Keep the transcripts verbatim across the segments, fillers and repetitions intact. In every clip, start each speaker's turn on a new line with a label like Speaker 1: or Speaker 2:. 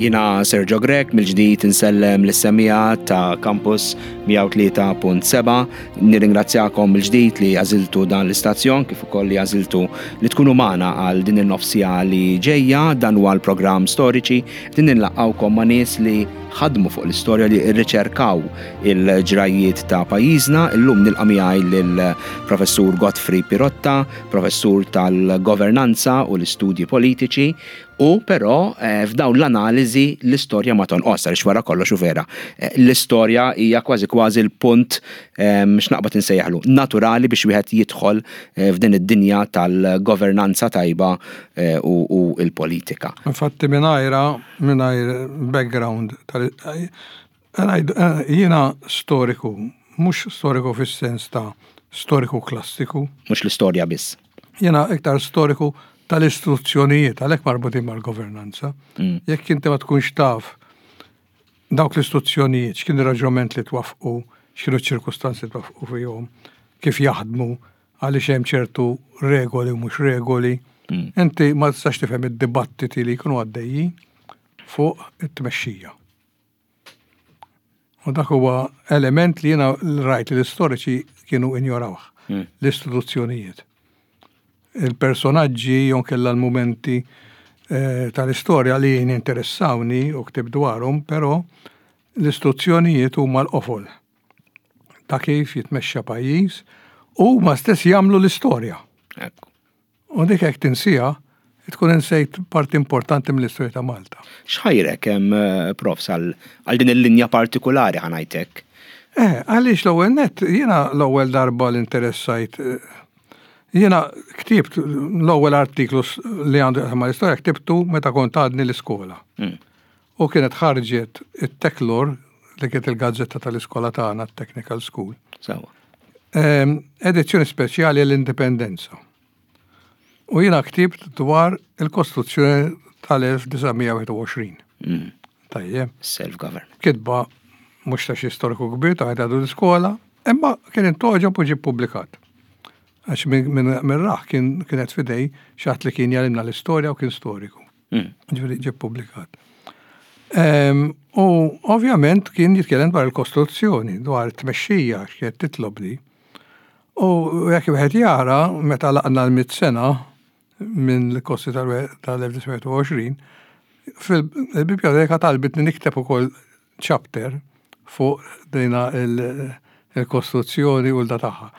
Speaker 1: Jiena Sergio Grech, mill-ġdid insellem lis-semmiegħa ta' Campus mija u tlieta punt sebgħa. Nirringrazzjakom mill-ġdid li għażiltu dan l-istazzjon kif ukoll li għażiltu li tkunu magħna għal din in-nofs siegħa li ġejja. Dan huwa l-programm Storiċi. Din nilqgħukom ma' nies li ħadmu fuq l-istorja, li rriċerkaw il-ġrajiet ta' pajjiżna. Illum nilqa' miegħi lill-Professur Godfrey Pirotta, professur tal-governanza u l-istudji politiċi. U però eh, f'dawn l-analiżi l-istorja ma tonqos, għaliex wara kollox u vera. Eh, L-istorja hija kważi kważi l-punt eh, x'naqbad insejjaħlu naturali biex wieħed jidħol eh, f'din id-dinja tal-governanza tajba eh, u, u l-politika.
Speaker 2: Infatti mingħajra, mingħajr background, tal- eh, jiena storiku, mhux storiku fis-sens ta' storiku klassiku,
Speaker 1: Mhux l-istorja biss.
Speaker 2: Jiena iktar storiku tal-istituzzjonijiet, għalhekk marbutin mal-governanza.
Speaker 1: Mm.
Speaker 2: Jekk inti ma tkunx taf dawk l-istituzzjonijiet, x'kien ir-raġunament li twaffqu, x'kienu ċ-ċirkustanzi li twaffqu fihom, kif jaħdmu, għaliex hemm ċertu regoli u mhux regoli,
Speaker 1: Mm.
Speaker 2: inti ma tistax tifhem id-dibattiti li jkunu għaddejjin fuq it-tmexxija. U dak huwa element li jiena rajt li l-istoriċi kienu injorawh,
Speaker 1: Mm.
Speaker 2: l-istituzzjonijiet. Il-personaġġi jew kella l-momenti eh, tal-istorja li jien interessawni u ktibt dwarhom, però l-istituzzjonijiet huma l-qofol ta' kif jitmexxa pajjiż u huma stess jagħmlu l-istorja.
Speaker 1: Ekku.
Speaker 2: U dik hekk tinsieha, tkun insejt parti importanti mill-istorja ta' Malta.
Speaker 1: X'ħajrek hemm, eh, profs, għal għal din il-linja partikolari, ħa ngħidlek?
Speaker 2: Eh, għaliex l-ewwel net, jiena l-ewwel darba l-interessajt, eh, jiena ktibt l-ewwel artiklu s- li għandu ma l-istorja ktibtu meta kont għadni l-iskola.
Speaker 1: Mm.
Speaker 2: U kienet ħarġet it-Teklor, li kienet il-gazzetta tal-iskola tagħna, Technical School.
Speaker 1: Sewwa.
Speaker 2: Ehm, edizzjoni speċjali l-Indipendenza. U jiena ktibt dwar il-Kostituzzjoni tal-elf disa' mija u wieħed u għoxrin.
Speaker 1: Mm.
Speaker 2: Tajjeb.
Speaker 1: Self-government.
Speaker 2: Kitba mhux ta' xi storiku kbir ta' għadu l-iskola, imma kien intgħoġob u ġie ppubblikat. Għax minn min, min raħ kien kienet f'idejn xi ħadd li kien jgħallimna l-istorja u kien storiku.
Speaker 1: Mm.
Speaker 2: Ġifieri ġie ppubblikat. Ehm, U ovvjament kien jitkellem dwar il-Kostituzzjoni, dwar it-tmexxija x'kienet titlob li. U jekk wieħed jara meta lħaqna l-mitt sena minn l-kosti tal-elf disa' mija u għoxrin, fil-biblioteka talbitni nikteb ukoll chapter fuq dina il- il-Kostituzzjoni u l-da tagħha.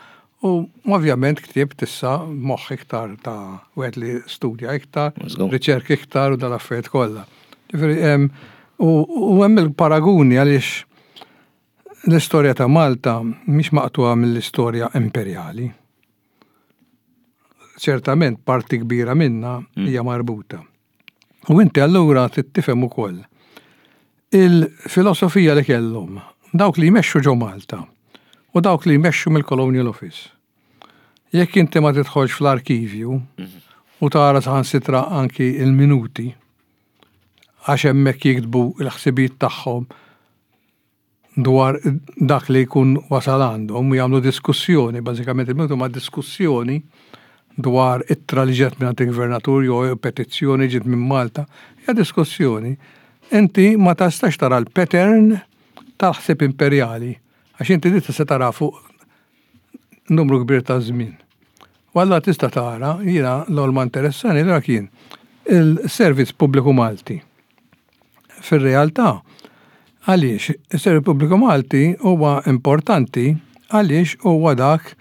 Speaker 2: U ovvjament ktibt issa moħħ iktar ta' wieħed li studja iktar,
Speaker 1: Żgur.
Speaker 2: riċerka iktar u dal-affarijiet kollha. Ġifieri hemm u u hemm il-paraguni għaliex l-istorja ta' Malta mhix maqtuha mill-istorja imperjali. Ċertament parti kbira minna hija marbuta. U inti allura trid tifhem ukoll il-filosofija li kellhom dawk li jmexxu ġo Malta u dawk li jmexxu mill-Colonial Office. Jekk inti ma tidħolx fl-arkivju u tara saħansitra anki il-minuti, għax hemmhekk jiktbu l-ħsibijiet tagħhom dwar dak li jkun wasal għandhom u jagħmlu diskussjoni, bażikament il-minuti ma' diskussjoni dwar ittra li ġiet minn il-gvernatur jew petizzjoni ġiet minn Malta, hija diskussjoni. Inti ma tistax tara l-pattern tal-ħsieb imperjali, għax inti di tista' tara fuq numru kbir ta' żmien. U allura tista' tara, jiena l ma interessani l kien il-Servizz Pubbliku Malti. Fir-realtà, għaliex il-Servizz Pubbliku Malti huwa importanti? Għaliex huwa dak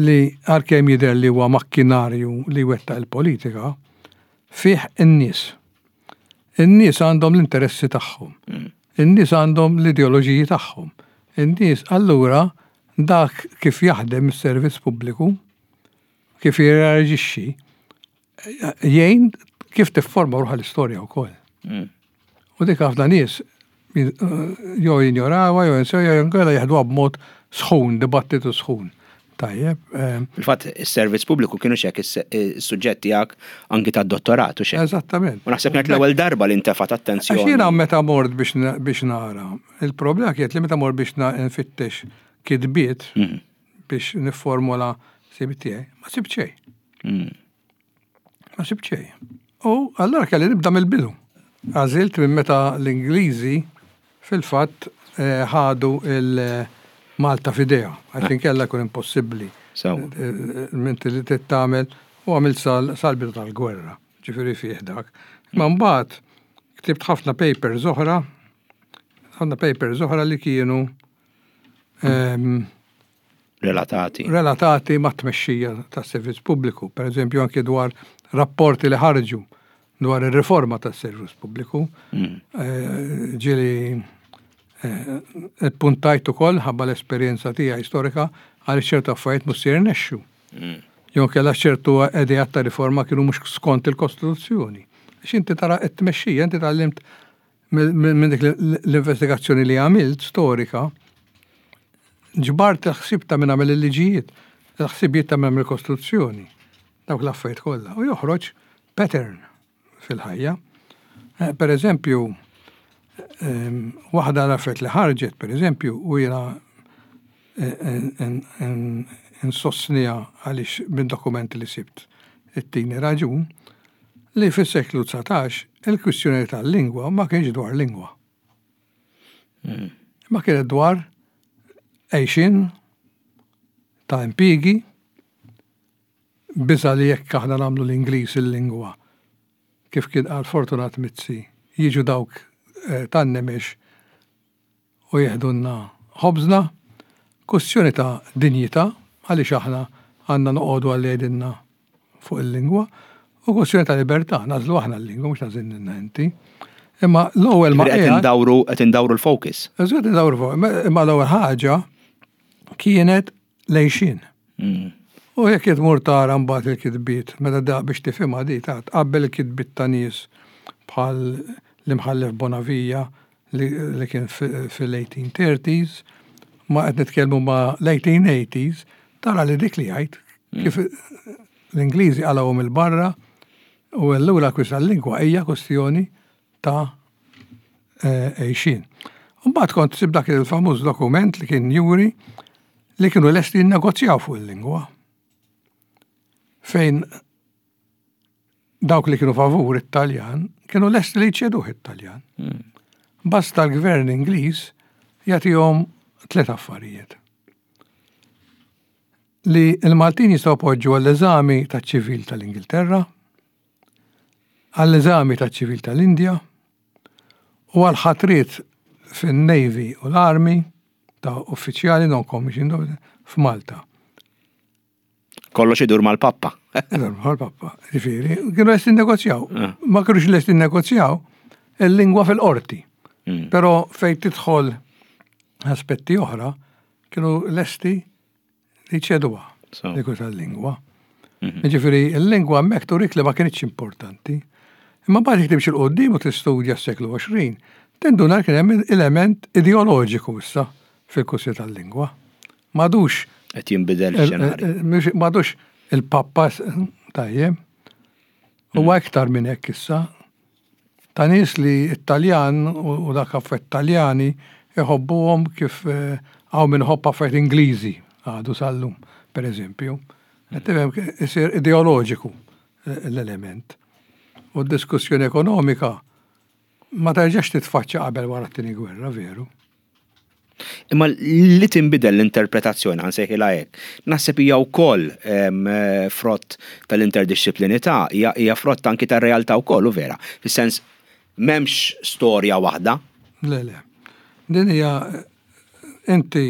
Speaker 2: li għalkemm jidher li huwa makkinarju li wettaq il-politika, fih in-nies. In-nies għandhom l-interessi tagħhom. In-nies għandhom l-ideoloġiji tagħhom. In-nies allura dak kif jaħdem is-servizz pubbliku, kif jirreaġixxi, jgħin kif tifforma ruħha l-istorja wkoll.
Speaker 1: Mm.
Speaker 2: U dik ħafna nies jew jinjorawha, jew jinsew, jew inkella jeħduha b'mod sħun, dibattitu sħun. Tajjeb. ehm,
Speaker 1: Fil-fatt, is-servizz pubbliku kienu xek is-suġġett tiegħek anki tad-dottorat u xek.
Speaker 2: Eżattament.
Speaker 1: U naħseb kienet l-ewwel darba li ntefat
Speaker 2: Għax
Speaker 1: attenzjoni.
Speaker 2: jiena meta mort biex na- biex nara, il-problema kienet li meta mort biex na- nfittex kitbiet
Speaker 1: Mhm.
Speaker 2: biex niformula ħsieb tiegħi, ma sibt xejn.
Speaker 1: Mm.
Speaker 2: Ma sibt xejn. U allura kelli nibda mill-bidu. Għażilt minn meta l-Ingliżi fil-fatt eh, ħadu il-Malta f'idejha, għax inkella jkun impossibbli.
Speaker 1: Sew.
Speaker 2: Minti li tagħmel u għamilt sal- sal-bidu tal-gwerra, ġifieri fih dak. Ma mbagħad ktibt ħafna papers oħra, ħafna papers oħra li kienu ehm,
Speaker 1: Relatati.
Speaker 2: Relatati ma' tmexxija tas servizz pubbliku, per eżempju anke dwar rapporti li ħarġu dwar ir-riforma tas servizz pubbliku.
Speaker 1: Mm.
Speaker 2: Eh, Ġieli eh, puntajt ukoll ħabba l-esperjenza tiegħi storika għal ċertu affarijiet mhux se jirnexxu.
Speaker 1: Mm.
Speaker 2: Jew kellha ċertu ideat ta' riforma kienu mhux skont il-Kostituzzjoni. Għax inti tara t-tmexxija, inti tgħallimt minn dik l-investigazzjoni li għamilt storika, ġbart il-ħsieb ta' minn għamel il-liġijiet, il-ħsibijiet ta' minn għamel il-Kostituzzjoni, dawk l-affarijiet kollha, u joħroġ pattern fil-ħajja. Eh, Per eżempju, ehm, waħda l-affarijiet li ħarġet, per eżempju, u jiena insostniha għaliex minn dokumenti li sibt it-tini raġun, li fis-seklu dsatax il-kwistjoni tal-lingwa ma kienx dwar lingwa. Ma kienet dwar għajxien ta' impjiegi, biża li jekk aħna nagħmlu l-Ingliż il-lingwa, kif kien qal Fortunat Mizzi, jiġu dawk eh, tan-nemex u jeħdunna ħobżna, kwestjoni ta' dinjità, għaliex aħna għandna noqogħdu għal jgħidilna fuq il-lingwa, u kwestjoni ta' libertà, nagħżlu aħna l-lingwa, mhux tagħżilna inti. Imma l-ewwel ma
Speaker 1: Qed
Speaker 2: qiegħed-
Speaker 1: indawru qed indawru l-focus.
Speaker 2: Eżatt, indawru fuq, imma l-ewwel ħaġa kienet l-għajxien.
Speaker 1: Mm.
Speaker 2: U jekk tmur tara mbagħad il-kitbiet, meta da biex tifhimha di ta' tqabbel il-kitbiet ta' nies bħal l-imħallef Bonavia li, li kien fil-eighteen thirties, ma qed nitkellmu ma l-eighteen eighties, tara li dik li jgħid kif l-Ingliżi qalgħuhom il-barra u allura kwista l-lingwa hija kwestjoni ta' eh, għajxien. Mbagħad kont sib dak il-famuż dokument li kien juri li kienu lesti jinnegozjaw fuq il-lingwa. Fejn dawk li kienu favur it-Taljan kienu lesti li jċeduh it-Taljan. Basta l-gvern Ingliż jagħtihom tliet affarijiet. Li l-Maltin jistgħu poġġu għall-eżami taċ-ċivil tal-Ingilterra, għall-eżami taċ-ċivil tal-Indja u għal-ħatriet fin-Navy u l-Army ta' uffiċjali non-commissioned f'Malta.
Speaker 1: Kollox idur mal-pappa.
Speaker 2: Mal-pappa, ġifieri, kienu lesti negozjaw.
Speaker 1: Ah.
Speaker 2: Ma kienux lesti negozjaw il-lingwa fil-qorti.
Speaker 1: Mm.
Speaker 2: Pero fej tidħol aspetti oħra, kienu lesti li ċeduha
Speaker 1: So.
Speaker 2: dik tal-lingwa.
Speaker 1: Mhm.
Speaker 2: Ġifieri, il-lingwa hemmhekk turik li ma kienx importanti. Imma mbagħad jekk timxi 'l quddiem u tistudja s-seklu għoxrin, tinduna kien hemm element ideoloġiku issa fil-kwistjoni tal-lingwa. M'għadux
Speaker 1: Qed jinbidel x-xenarju.
Speaker 2: M'għadux il-pappa tajjeb. Huwa iktar minn hekk issa. Ta' nies li Italjan u u dak affarijiet Taljani iħobbuhom kif eh, hawn min iħobb affarijiet Ingliżi għadu sal-lum, per eżempju. Qed tifhem, isir ideoloġiku eh, l-element. U d-diskussjoni ekonomika ma terġax titfaċċa qabel wara t-tieni gwerra, veru.
Speaker 1: Imma li tinbidel l-interpretazzjoni, għan sejħilha hekk, naħseb hija wkoll em, eh, frott tal-interdisciplinità, hija hija frott anki tar-realtà wkoll, u vera. Fis-sens m'hemmx storja waħda.
Speaker 2: Le, le. Din hija inti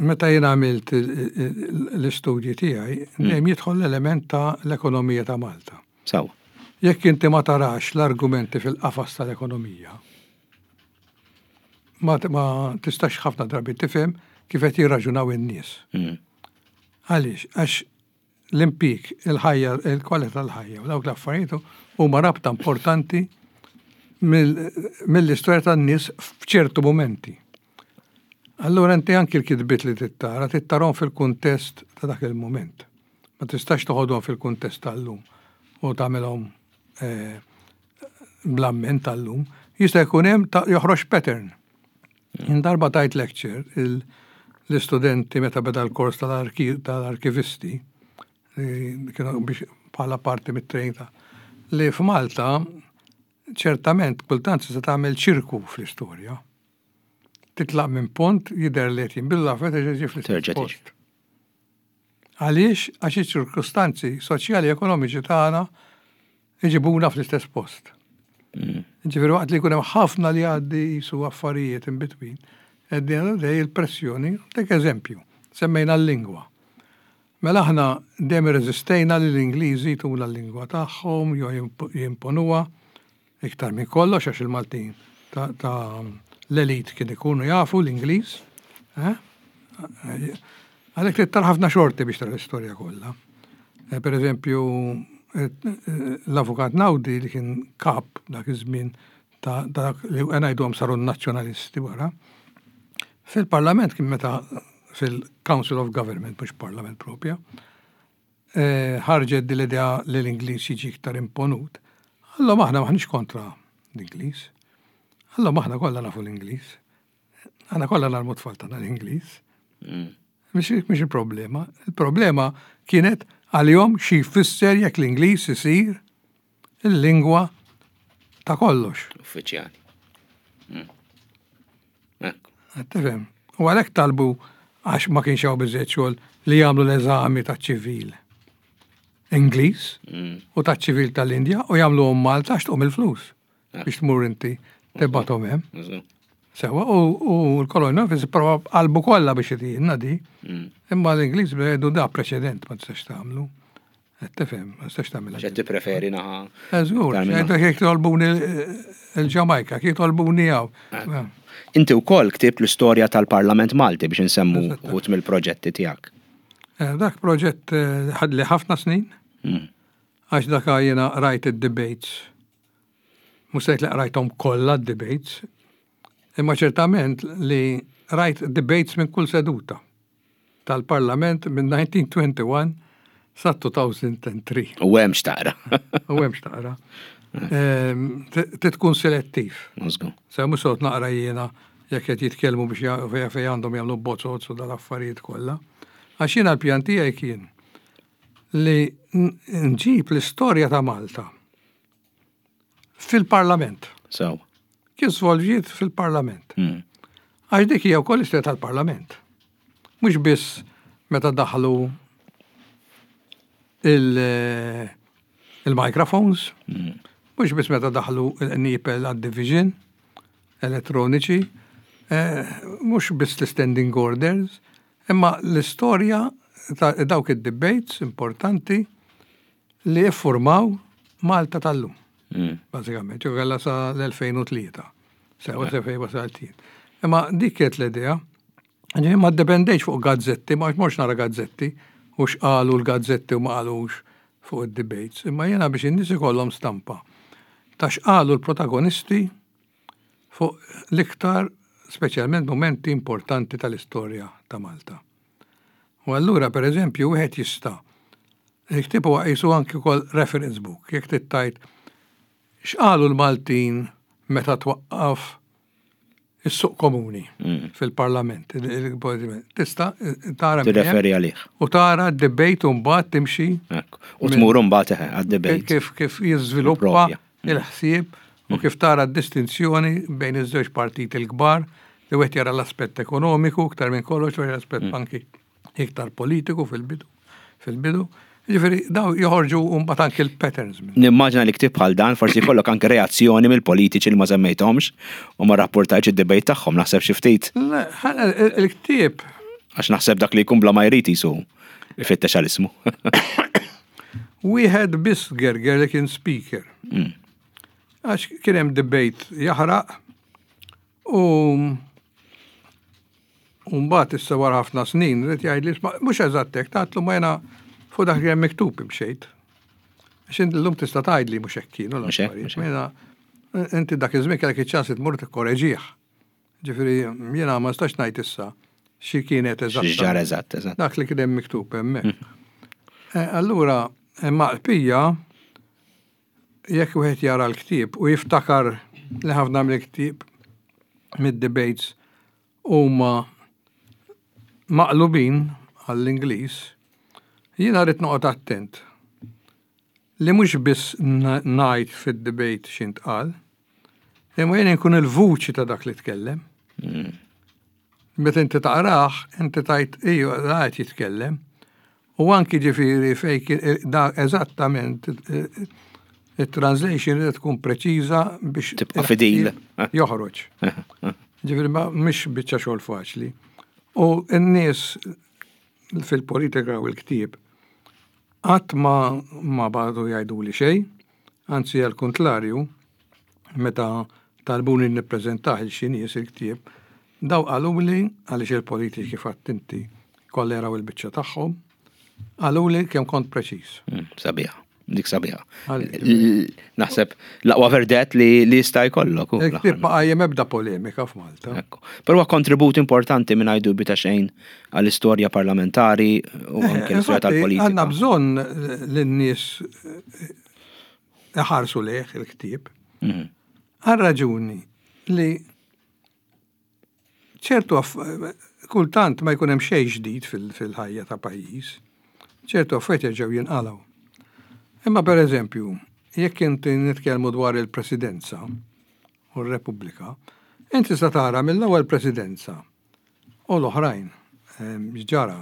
Speaker 2: meta jien għamilt il- il- l-istudji tiegħi, dejjem jidħol l-element ta' l-ekonomija ta' Malta.
Speaker 1: Sew.
Speaker 2: Jekk inti ma tarax l-argumenti fil-qafas tal-ekonomija, ma, ma tistax ħafna drabi tifhem kif qed jirraġunaw in-nies.
Speaker 1: Mm.
Speaker 2: Għaliex? Għax l-impjieg, il-ħajja, il-kwalità tal-ħajja u dawk l-affarijiet huma rabta importanti mill- mill-istorja tan-nies f'ċertu momenti. Allura inti anki l-kitbiet li tittara, tittarahom fil-kuntest ta' dak il-moment. Ma tistax toħodhom fil-kuntest tal-lum u tagħmilhom eh, bl-amment tal-lum. Jista' jkun hemm ta' joħroġ pattern. Jien darba tajt lecture il- l-istudenti meta beda l-kors tal-arki- tal-arkivisti, li kienu biex bħala parti mit-training ta' li f'Malta Ċertament, kultant se tagħmel ċirku fl-istorja. Titlaq minn pont, jidher li qed jinbidlu affarijiet, terġa' fl-istess
Speaker 1: Terġa' tiġi.
Speaker 2: post. Għaliex? Għax iċ-ċirkustanzi soċjali e ekonomiċi tagħna iġibuna fl-istess post.
Speaker 1: Mm.
Speaker 2: Ġifieri waqt li jkun hemm ħafna li għaddi jisu affarijiet in between, at the end of the day il-pressjoni, tek eżempju, semmejna l-lingwa. Mela aħna dejjem irreżistejna li l-Ingliżi tuna l-lingwa tagħhom jew jimp- jimponuha iktar minn kollox, għax il-Maltin ta', ta l-elit kien ikunu jafu l-Ingliż. Eh? Għalhekk trid tara ħafna xorti biex tara l-istorja kollha. Eh, Per eżempju, eh, eh, l-avukat Naudi, li kien kap dak iż-żmien ta' dak li ngħiduhom saru nazzjonalisti wara, fil-parlament kien, meta fil-Council of Government, mhux parlament propja, eh, ħarġet din l-idea li l-Ingliż jiġi iktar imponut. Allora aħna maħniex kontra l-Ingliż. Allora aħna kollha nafu l-Ingliż. Aħna kollha ngħallmu t-tfal tagħna l-Ingliż.
Speaker 1: Mm.
Speaker 2: Mhix mhix il-problema. Il-problema kienet għalihom xi jfisser jekk l-Ingliż isir il-lingwa ta' kollox.
Speaker 1: Uffiċjali. Mm. Ekku.
Speaker 2: Qed tifhem? U għalhekk talbu, għax ma kienx hawn biżejjed xogħol, li jagħmlu l-eżami ta' ċivil Ingliż
Speaker 1: Mm.
Speaker 2: u ta' ċivil tal-Indja u jagħmluhom Malta, għax tqum il-flus
Speaker 1: Ah.
Speaker 2: biex tmur inti tibgħathom hemm.
Speaker 1: Użu.
Speaker 2: Sewa, u, u l-Colonial Office prova qalbu kollha biex itina di.
Speaker 1: Mm.
Speaker 2: Imma l-Ingliż bejdu da preċedent ma tistax tagħmlu. Qed tifhem, ma tistax tagħmilha.
Speaker 1: Għax tippreferi naħa.
Speaker 2: Eh, Żgur,
Speaker 1: Iktar minn
Speaker 2: jgħidu jekk tolbuni il-Ġamajka, kif tolbuni hawn.
Speaker 1: Inti wkoll ktibt l-istorja tal-Parlament Malti, biex nsemmu
Speaker 2: Eżatt.
Speaker 1: uħud mill-proġetti tiegħek.
Speaker 2: Eh, Dak proġett eh, ħadli ħafna snin,
Speaker 1: Mm.
Speaker 2: għax dak jiena rajt id-debates. Mhux li rajthom kollha d-debates, imma ċertament li rajt debates minn kull seduta tal-Parlament minn elf disa' mija u wieħed u għoxrin sa elfejn u tlieta.
Speaker 1: U hemm x'taqra.
Speaker 2: U hemm x'taqra. Ehm, Trid tkun selettiv.
Speaker 1: Użgu.
Speaker 2: Se mhux sot naqra jiena jekk qed jitkellmu biex ja- fejn fejn għandhom jagħmlu bozzot u dal-affarijiet kollha. Għax jiena l-pjan tiegħi kien li n- nġib l-istorja ta' Malta fil-Parlament.
Speaker 1: So.
Speaker 2: Kif svolġiet fil-Parlament.
Speaker 1: Mm.
Speaker 2: Għax dik hija wkoll istorja tal-Parlament. Mhux biss meta daħlu il- il-microphones,
Speaker 1: Mm.
Speaker 2: mhux biss meta daħlu il-nipel għad-division elettroniċi, eh, mhux biss l-standing orders, imma l-istorja ta' dawk id-debates importanti li jiffurmaw Malta tal-lum.
Speaker 1: Mm.
Speaker 2: Bażikament, ġo għalla sa l-elfejn u tlieta. Sewa se fej wasaltin. Imma dik kienet l-idea. Ġifieri ma ddependejx fuq gazzetti, ma mhux nara gazzetti, u x'qalu l-gazzetti u ma qalux fuq id-debates. Imma jiena biex in-nies ikollhom stampa ta' x'qalu l-protagonisti fuq l-iktar speċjalment momenti importanti tal-istorja ta' Malta. U allura, per eżempju, wieħed jista' il-ktieb huwa qisu anki wkoll reference book, jekk tittajt x'qalu l-Maltin meta twaqqaf is-suq komuni
Speaker 1: Mm.
Speaker 2: fil-parlament. il- il- Tista' tara minn hemm
Speaker 1: Tirreferi għalih.
Speaker 2: u tara d-debate u mbagħad timxi
Speaker 1: Ekku. U tmur mbagħad eħe għad-debate.
Speaker 2: kif kif jiżviluppa
Speaker 1: Propja.
Speaker 2: il-ħsieb u kif tara d-distinzjoni bejn iż-żewġ partiti l-kbar, li wieħed jara l-aspett ekonomiku iktar minn kollox, u l-aspett anki iktar politiku fil-bidu. Fil-bidu. Ġifieri daw joħorġu mbagħad anki l-patterns minn.
Speaker 1: Nimmaġina li ktieb bħal dan forsi jkollok anke reazzjoni mill-politiċi li ma semmejthomx u ma rapportajx id-debate tagħhom, naħseb xi ftit,
Speaker 2: Le, ħa- il- Il-ktieb
Speaker 1: għax naħseb dak li jkun bla ma jrid jisu ifittex għal ismu.
Speaker 2: Wieħed biss gerger, li kien speaker.
Speaker 1: Mm.
Speaker 2: Għax kien hemm debate jaħraq u u mbagħad issa wara ħafna snin rid jgħidli, "Isma', mhux eżatt hekk." Tgħidlu, "Ma jiena fuq dak li hemm miktub imxejt." Għax inti llum tista' tgħidli mhux hekk kienu
Speaker 1: Mhux hekk,
Speaker 2: l-affarijiet.
Speaker 1: Mhux hekk.
Speaker 2: Ma jiena inti dak iż-żmien kellek iċ-ċans tmur tikkoreġih. Ġifieri jiena ma nistax ngħid issa xi kienet eżatt.
Speaker 1: X'ġara eżatt, eżatt.
Speaker 2: Dak li kien hemm miktub hemmhekk. Eh, Allura, imma l-pija, jekk wieħed jara l-ktieb u jiftakar li ħafna mill-ktieb mid-debates huma maqlubin għall-Ingliż, jiena rrid noqgħod attent li mhux biss n- ngħid fid-debate x'intqal, Imma jien nkun il-vuċi ta' dak li tkellem.
Speaker 1: Mm.
Speaker 2: Meta inti taqrah, inti tgħid iju qed jitkellem. U anki ġifieri fej da eżattament il-translation li tkun preċiża biex
Speaker 1: tibqa' fidil.
Speaker 2: Joħroġ. Ġifieri ma mhix biċċa xogħol faċli. U n-nies fil-politika u l-ktieb qatt ma ma badu jgħidu li xejn, anzi għal kontrarju, meta talbuni nippreżentah lil xi nies il-ktieb, daw qaluli għaliex il-politiċi fatt inti kollha jaraw il-biċċa tagħhom, qaluli kemm kont preċiż.
Speaker 1: Mm, sabiħa, dik sabiħa. Naħseb l-aqwa verdett li li jista' jkollok.
Speaker 2: Il-ktieb ma qajjem ebda polemika f'Malta.
Speaker 1: Ekku. Però huwa kontribut importanti minn dubju ta' xejn għall-istorja parlamentari u
Speaker 2: Eh,
Speaker 1: anke l-istorja tal-politika.
Speaker 2: Għandna bżonn lin-nies iħarsu lejh il-ktieb.
Speaker 1: Mhm.
Speaker 2: Għal raġuni li ċertu kultant ma jkun hemm xejn ġdid fil-ħajja ta' pajjiż, ċertu affarijiet jerġgħu jinqalgħu. Imma per eżempju, jekk inti nitkellmu dwar il-presidenza u r-Repubblika, inti sa tara mill-ewwel presidenza u l-oħrajn ġara.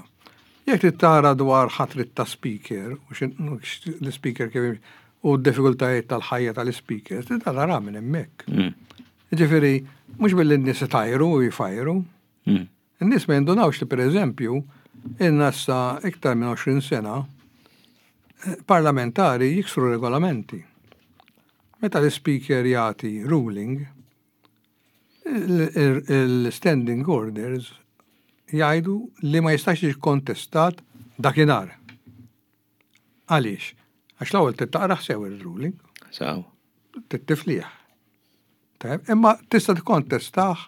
Speaker 2: Jekk trid tara dwar ħatrit ta' speaker u l-speaker kif u d-diffikultajiet tal-ħajja tal-speaker, trid tara minn hemmhekk.
Speaker 1: Mm.
Speaker 2: Ġifieri, mhux billi n-nies itajru u jfajru.
Speaker 1: Mm.
Speaker 2: In-nies ma jindunawx li pereżempju, in-nassa iktar minn għoxrin sena eh, parlamentari jiksru regolamenti. Meta l-speaker jagħti ruling, il-standing orders jgħidu li ma jistax jiġi kontestat dakinhar. Għaliex? Għax l-ewwel taqrah sew il-ruling.
Speaker 1: Sew.
Speaker 2: Tiflih. Imma tista' tikkontestah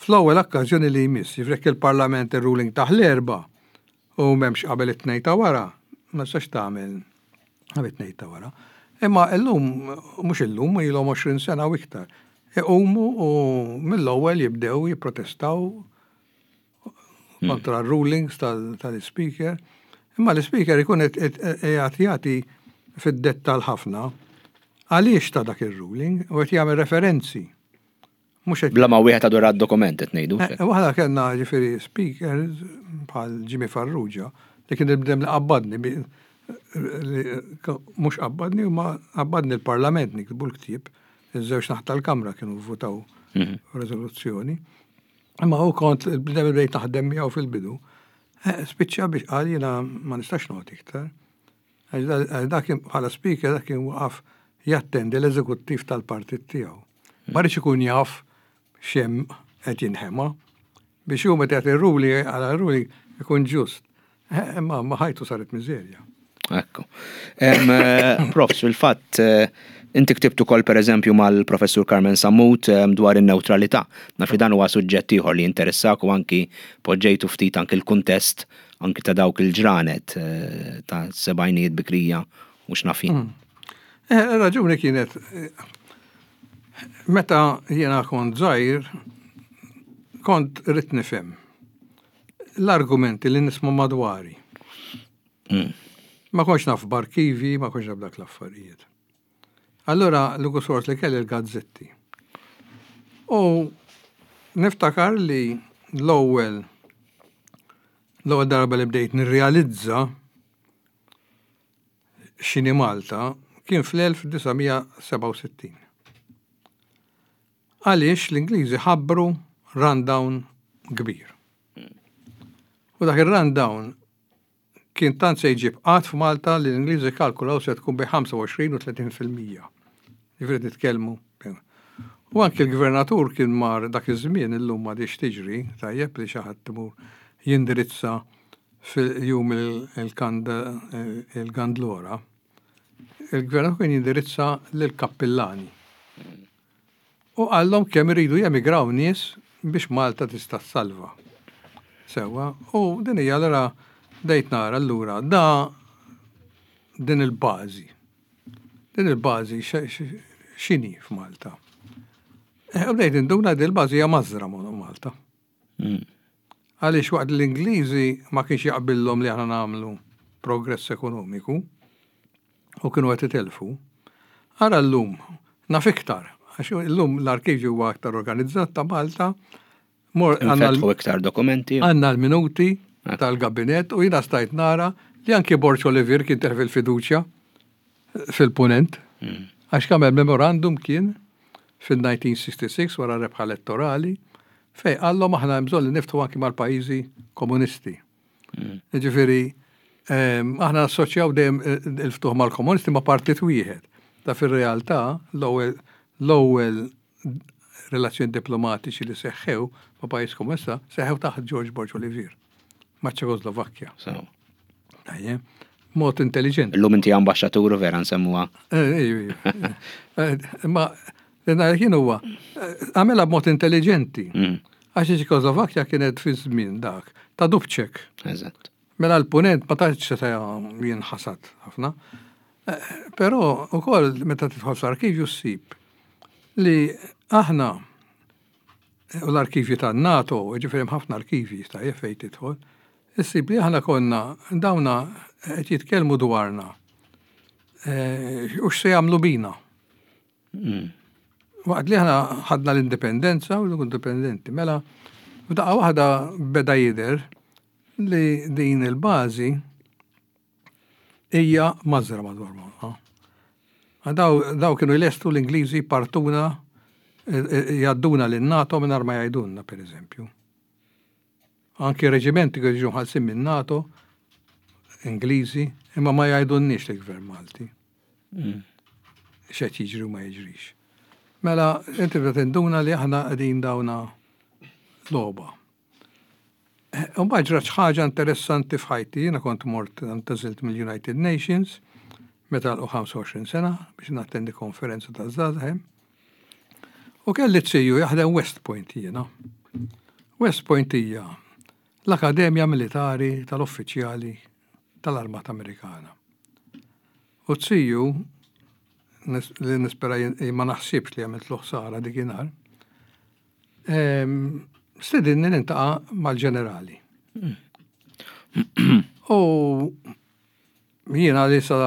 Speaker 2: fl-ewwel okkażjoni li jmiss, jifrek il-Parlament il-ruling tah l-Erbgħa u m'hemmx qabel it-Tnejn ta' wara, ma tistax tagħmel qabel it-Tnejn ta' wara. Imma illum, mhux illum, ilhom għoxrin sena u iktar. Iqumu u mill-ewwel jibdew jipprotestaw kontra rulings tal-speaker. Imma l-speaker ikun qed jagħti fid-dettal ħafna għaliex ta' dak il-ruling u qed jagħmel referenzi.
Speaker 1: Mhux qed Bla ma wieħed għadu dokument qed ngħidu.
Speaker 2: Eh, waħda kellna ġifieri speakers bħal Jimmy Farrugia li kien il-bniedem li qabbadni, mhux qabbadni, ma qabbadni l-Parlament niktbu l-ktieb, iż-żewġ naħat tal-Kamra kienu votaw
Speaker 1: mhm.
Speaker 2: rezoluzzjoni. Imma u kont il-bniedem li bdejt naħdem miegħu fil-bidu. Eh, spiċċa biex qal jiena ma nistax noqgħod iktar. Għax dak bħala speaker dak kien waqaf jattendi l-eżekuttiv tal-partit tiegħu. Ma riedx ikun jaf x'hemm qed jinħema biex hu meta jagħti ruling għala ruling ikun ġust. Eh, imma ma ħajtu saret miżerja.
Speaker 1: Ekku. Eh, Profs, fil-fatt, inti ktibtu kol per eżempju mal-professur Carmen Sammut dwar in-neutralità. Naf li dan huwa suġġett ieħor li interessak u anki poġġejtu ftit anki l-kuntest anki ta' dawk il-ġranet eh, ta' sebgħinijiet bikrija u x'naf jien.
Speaker 2: Mm. Eh, raġuni kienet eh, meta jiena kont żgħir kont rrid nifhem l-argumenti li nisma' madwari.
Speaker 1: Mm.
Speaker 2: Ma kontx naf b'arkivi, ma kontx naf dak l-affarijiet. Allora, l sors li kelli l-gazzetti. U niftakar li l-ewwel l-ewwel darba li bdejt nirrealizza x'inhi Malta kien fl-elf disa' mija sebgħa u sittin. Għaliex l-Ingliżi ħabbru rundown kbir. U dak il-rundown kien tant se jġib qgħad f'Malta li l-Ingliżi kalkulaw se tkun bejn ħamsa u għoxrin u tletin fil-mija. Ġifieri nitkellmu. U anki l-gvernatur kien mar dak iż-żmien, illum ma tiġri, tajjeb li xi ħadd imur jindirizza fil-jum il-Gandlora. Il-gvernatur kien jindirizza lill-kappillani. U qallhom kemm iridu jemigraw nies biex Malta tista' salva. Sewa, u din hija allura bdejt nara allura da din il-bażi. Din il-bażi x'inhi f'Malta? Eh, u bdejt induna din il-bażi hija mażra Malta.
Speaker 1: Mm.
Speaker 2: Għaliex waqt l-Ingliżi ma kienx jaqbillhom li aħna nagħmlu progress ekonomiku u kienu qed itelfu. Ara llum, naf iktar, Għax illum l-arkivju huwa aktar organizzat ta' Malta. Għandna
Speaker 1: iktar dokumenti.
Speaker 2: Għandna l-minuti tal-gabinet u jiena stajt nara li anki Borg Olivier kien tilef il-fiduċja fil-punent. Hmm. Għax għamel memorandum kien fil-elf disa' mija u sitta u sittin wara rebħa elettorali fejn qallhom aħna bżonn li niftħu anki mal-pajjiżi komunisti. Hmm. Ġifieri, aħna assoċjaw dejjem il-ftuħ mal-komunisti ma' partit wieħed. Ta' fil-realtà l-ewwel l-ewwel relazzjoni diplomatiċi li seħħew ma' pajjiż komunista seħħew taħt George Borg Olivier ma' Ċekoslovakkja. Mod intelligenti.
Speaker 1: Illum inti ambaxxatur vera nsemmuha.
Speaker 2: Eh, eh, ma kien huwa għamela b'mod intelligenti. Mm. Għax Ċekoslovakkja kienet fi żmien dak ta' Dubček.
Speaker 1: Eżatt.
Speaker 2: Mela l-punent ma tantx seta' jinħasad ħafna. Però ukoll meta tidħol fl-arkivju ssib li aħna u l-arkivju tan-NATO, ġifieri ħafna arkivji ta' fejn tidħol, issib li aħna konna dawna qed jitkellmu dwarna. Eh, u x'se jagħmlu bina. Mm. Waqt li aħna ħadna l-indipendenza u l-indipendenti, mela f'daqqa waħda beda jidher li din il-bażi hija mażra madwar Malta. Daw, daw kienu jlestu l-Ingliżi partuna eh, eh, jgħadduna lin-NATO minn ma jgħidulna, per eżempju. Anki reġimenti kienu jiġu mħallsin minn NATO, Ingliżi, imma ma jgħidulniex l-gvern Malti. Mm. X'qed jiġri u ma jiġrix. Mela, inti bda tinduna li aħna qegħdin dawna logħba. Mbagħad ġrat ħaġa interessanti f'ħajti, jiena kont mort ntgħażilt mill-United Nations, meta għalqu ħamsa u għoxrin sena biex nattendi konferenza ta' żgħażagħ. U kelli ziju jaħdem West Point jiena. West Point hija l-Akademja Militari tal-Uffiċjali tal-Armata Amerikana. U ziju, li nispera ma naħsibx li għamilt ħsara dikinhar, stedinni niltaqa' mal-ġenerali. U jiena li sa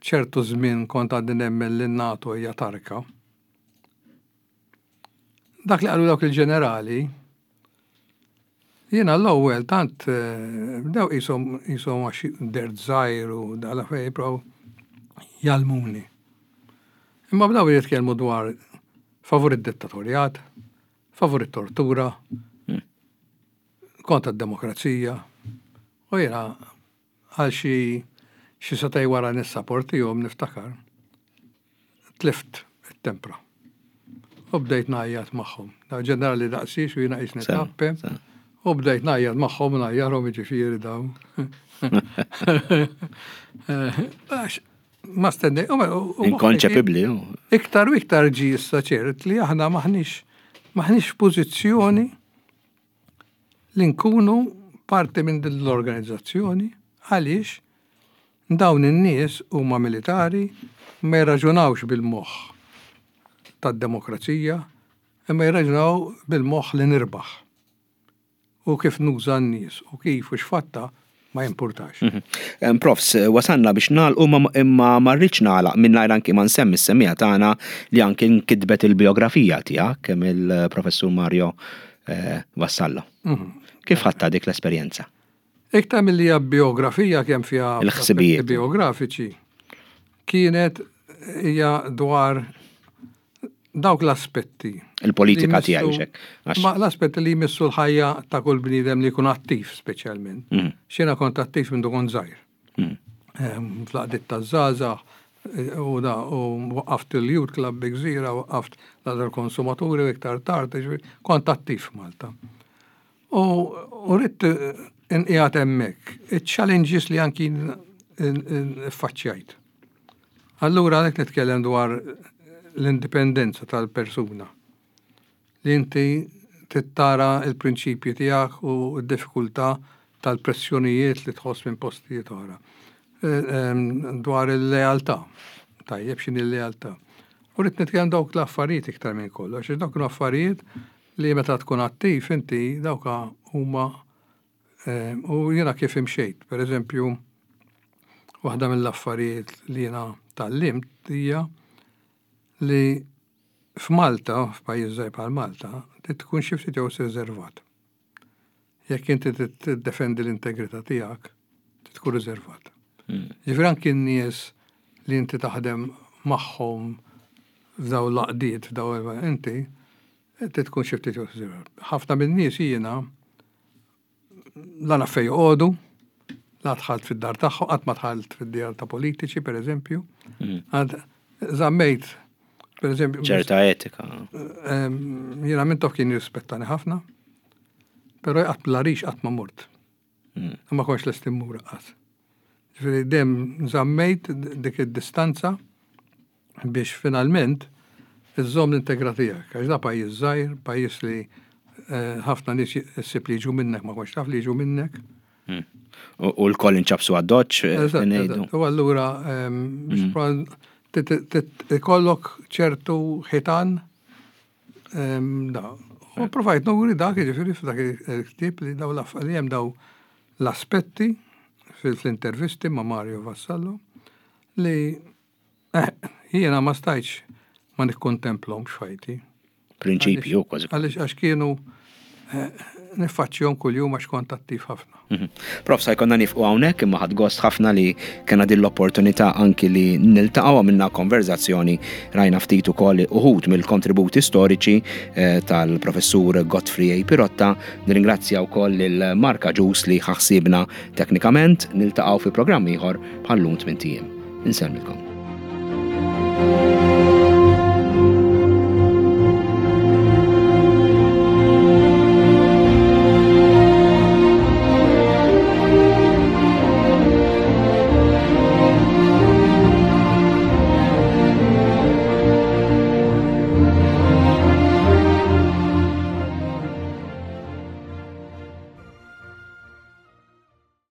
Speaker 2: ċertu żmien kont għadni nemmen li NATO hija tarka. Dak li qalu dawk il-ġenerali, jiena l-ewwel tant eh, bdew qishom qishom għax dert żgħir u dala fejn jipprovaw jgħallmuni. Imma bdew jitkellmu dwar favur id-dittatorjat, favur it-tortura, kontra d-demokrazija. U jiena għal xi xi sagħtejn wara nissaportihom niftakar. Tlift it-tempra. U bdejt ngħajjat magħhom. Da ġenerali daqsix u jiena qisni tappe. U bdejt ngħajjat magħhom u ngħajjarhom, jiġifieri daw. Għax ma stennej.
Speaker 1: Inkonċepibbli.
Speaker 2: Iktar u iktar ġi issa ċert li aħna maħniex maħniex f'pożizzjoni li nkunu parti minn din l-organizzazzjoni, għaliex dawn in-nies huma militari, ma jirraġunawx bil-moħħ tad-demokrazija, imma jirraġunaw bil-moħħ li nirbaħ. U kif nuża n-nies u kif u x'fatta ma jimpurtax.
Speaker 1: Mhm. Profs, wasanna biex nagħlqu, imma ma rridx nagħlaq mingħajr anki ma nsemmi s-semmiegħa tagħna li anki nkitbet il-biografija tiegħek mill-professur Mario eh, Vassallo. Mhm. Kif ħadtha dik l-esperjenza?
Speaker 2: Iktar mill-li hija biografija, kemm fiha
Speaker 1: il-ħsibijiet
Speaker 2: biografiċi, kienet hija dwar dawk l-aspetti.
Speaker 1: Il-politika tiegħi xek.
Speaker 2: Ma l-aspetti li jmissu l-ħajja ta' kull bniedem li jkun attiv speċjalment. Mm. Jiena kont attiv minn kont żgħir. Mm. Fl-għaqdiet taż-żgħażagħ u da u waqqaft il-Youth Club bi Gżira, waqqaft l-konsumaturi u iktar tard, kont attiv Malta. U ridt inqiegħed hemmhekk iċ-challenges li anki faċċjajt. Allura għalhekk nitkellem dwar l-indipendenza tal-persuna. Li inti tittara il-prinċipji tiegħek u d-diffikultà tal-pressjonijiet li tħoss minn postijiet oħra. E, dwar il-lealtà. Tajjeb, x'inhi il-lealtà? U rrid nitkellem dawk l-affarijiet iktar minn kollox, għax dawk l-affarijiet li meta tkun attiv inti dawka huma u jiena kif imxejt. Per eżempju, waħda mill-affarijiet li jiena tgħallimt hija li F'Malta, f'pajjiż żgħir bħal Malta, trid tkun xi ftit jew riservat. Jekk inti tiddefendi l-integrità tiegħek, trid tkun riservat.
Speaker 1: Hmm.
Speaker 2: Ġifieri anki n-nies li inti taħdem magħhom f'daw l-għaqdiet, f'daw inti, trid tkun xi ftit jew riservat. Ħafna min-nies jiena la naf fejn joqogħdu, la dħalt fid-dar tagħhom, qatt ma dħalt fid-dar ta' politiċi, per eżempju.
Speaker 1: Hmm.
Speaker 2: Għad żammejt, per eżempju.
Speaker 1: ċerta etika.
Speaker 2: Ehm, jiena Mintoff kien jirrispettani ħafna, però qatt l-Għarix qatt ma mort.
Speaker 1: Hmm.
Speaker 2: Ma kontx lest immur qatt. Ġifieri dejjem żammejt dik id-distanza biex finalment iżżomm l-integrità tiegħek. Għax da pajjiż żgħir, pajjiż li eh, ħafna nies issib li jiġu minnek, ma kontx taf li jiġu minnek.
Speaker 1: Hmm. U u l-koll inċapsu għad-doċ,
Speaker 2: Eżatt,
Speaker 1: ngħidu.
Speaker 2: eżatt. U allura ehm, biex proba- ti- ti- ti- ikollok ċertu ħitan ehm, da. U provajt nuri dak, ġifieri f'dak il-ktieb li daw l li hemm daw l-aspetti fil-intervisti ma' Mario Vassallo li eh, jiena ma stajtx ma nikkontemplhomx f'ħajti.
Speaker 1: Prinċipju, kważi.
Speaker 2: Għaliex għax kienu eh, niffaċċjahom kuljum għax kont attiv ħafna.
Speaker 1: Mhm. Prof, sa jkollna nieqfu hawnhekk imma ħadt gost ħafna li kena din l-opportunità anki li niltaqgħu, għamilna konverzazzjoni, rajna ftit ukoll uħud mill-kontributi storiċi eh, tal-professur Godfrey A. Pirotta. Nirringrazzja wkoll lil Mark Agius li ħa ħsiebna teknikament. Niltaqgħu fi programm ieħor bħal-lum tmint ijiem. Insellmilkom.